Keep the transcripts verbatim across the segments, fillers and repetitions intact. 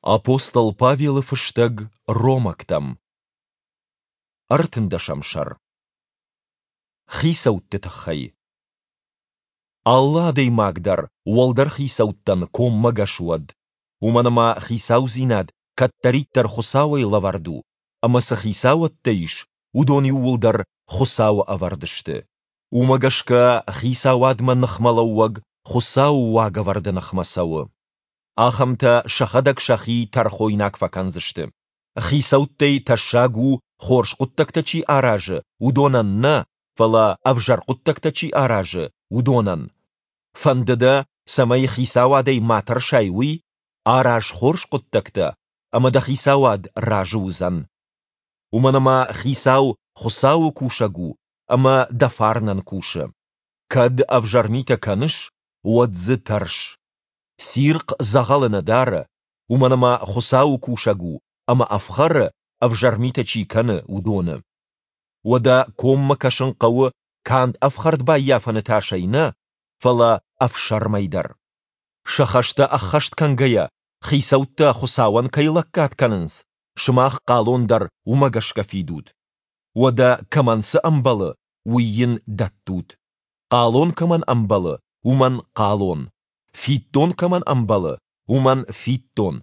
Апостол Павелы фыстӕг Ромӕгтӕм. Ӕртындӕсӕм сӕр. Хицӕутты тыххӕй. Алы адӕймаг дӕр уӕлдӕр хицӕуттӕн коммӕгӕс уӕд, уымӕн ӕмӕ хицаудзинад кӕддӕриддӕр Хуыцауӕй лӕвӕрд у, ӕмӕ цы хицауӕдтӕ ис, уыдон иууылдӕр Хуыцауы ӕвӕрд сты. Уымӕ гӕсгӕ хицауадмӕ ныхмӕлӕууӕг Хуыцауы уагӕвӕрды ныхмӕ цӕуы. Ахӕмтӕ сӕхӕдӕг сӕхи тӕрхойнаг фӕкӕндзысты. Хицӕуттӕй тӕссаг у, хорз хъуыддӕгтӕ чи аразы, уыдонӕн нӕ, фӕлӕ ӕвзӕр хъуыддӕгтӕ чи аразы, уыдонӕн. Фӕнды дӕ, цӕмӕй хицауадӕй ма тӕрсай, уый? Араз хорз хъуыддӕгтӕ, ӕмӕ дӕ хицауад разы уыдзӕн. Уымӕн ӕмӕ хицау Хуыцауы кусӕг у ӕмӕ дӕ фарнӕн кусы. Кӕд ӕвзӕр митӕ кӕныс, уӕд дзы тӕрс. Цирхъ дзӕгъӕлы нӕ дары, уымӕн ӕмӕ Хуыцауы кусӕг у ӕмӕ ӕфхӕры, ӕвзӕр митӕ чи кӕны, уыдоны. Уӕдӕ коммӕ кӕсын хъӕуы канд ӕфхӕрд баййафыны тасӕй нӕ, фӕлӕ ӕфсӕрмӕй дӕр. Сӕ хӕстӕ ӕххӕст кӕнгӕйӕ, хицӕуттӕ Хуыцауӕн кӕй лӕггад кӕнынц, сымах хъалон дӕр уымӕ гӕсгӕ фидут. Уӕдӕ кӕмӕн цы ӕмбӕлы, уый йын дӕттут. Хъалон кӕмӕн ӕмбӕлы, уымӕн хъалон, фиддон кӕмӕн ӕмбӕлы, уымӕн фиддон,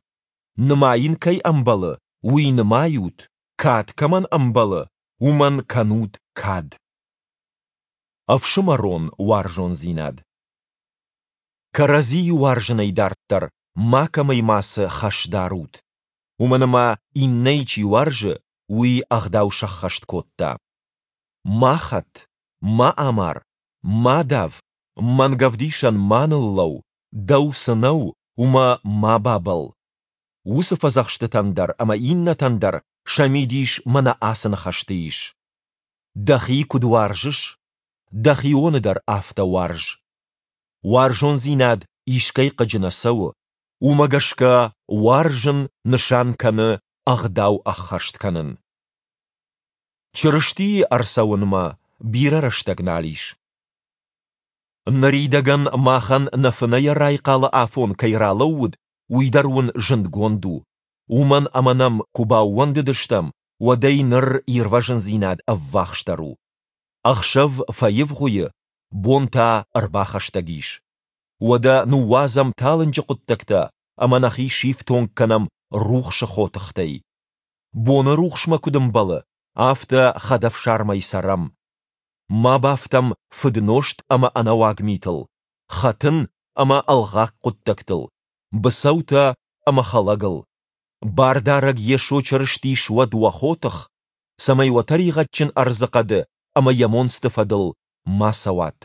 нымайын кӕй ӕмбӕлы, уый нымайут, кад кӕмӕн ӕмбӕлы, уымӕн кӕнут кад. Ӕфсымӕрон уарзондзинад. Кӕрӕдзийы уарзынӕй дарддӕр макӕмӕй мацы хӕс дарут, уымӕн ӕмӕ иннӕйы чи уарзы, уый ӕгъдау сӕххӕст кодта. Ма хӕт, ма амар, ма дав, мӕнгӕвдисӕн ма ныллӕуу, дӕу цы нӕу, уымӕ ма бабӕлл. Уыцы фӕдзӕхстытӕн дӕр ӕмӕ иннӕтӕн дӕр сӕ мидис мӕнӕ ацы ныхӕсты ис: Дӕхи куыд уарзыс, дӕхионы дӕр афтӕ уарз. Уарзондзинад искӕй хъыджы нӕ цӕуы, уымӕ гӕсгӕ уарзын нысан кӕны ӕгъдау ӕххӕст кӕнын. Чырыстийы ӕрцӕуынмӕ бирӕ рӕстӕг нал ис. Ныридӕгӕн махӕн нӕ фынӕйӕ райхъалы афон кӕй ралӕууыд, уый дӕр уын зындгонд у, уымӕн ӕмӕ нӕм куы баууӕндыдыстӕм, уӕдӕй ныр ирвӕзындзинад ӕввахсдӕр у. Ӕхсӕв фӕивгъуыйы, бон та ӕрбахӕстӕг ис. Уӕдӕ ныууадзӕм талынджы хъуыддӕгтӕ ӕмӕ нӕхи сифтонг кӕнӕм рухсы хотыхтӕй. Боны рухсмӕ куыд ӕмбӕлы, афтӕ хӕдӕфсармӕй цӕрӕм. Ма бафтӕм фыднозт ӕмӕ ӕнӕуаг митыл, хӕтын ӕмӕ ӕлгъаг хъуыддӕгтыл, быцӕутӕ ӕмӕ хӕлӕгыл. Бардарӕг Йесо Чырысти суӕд уӕ хотых, цӕмӕй уӕ тӕригъӕдджын ӕрдзыхъӕды ӕмӕ йӕ монцты фӕдыл ма цӕуат.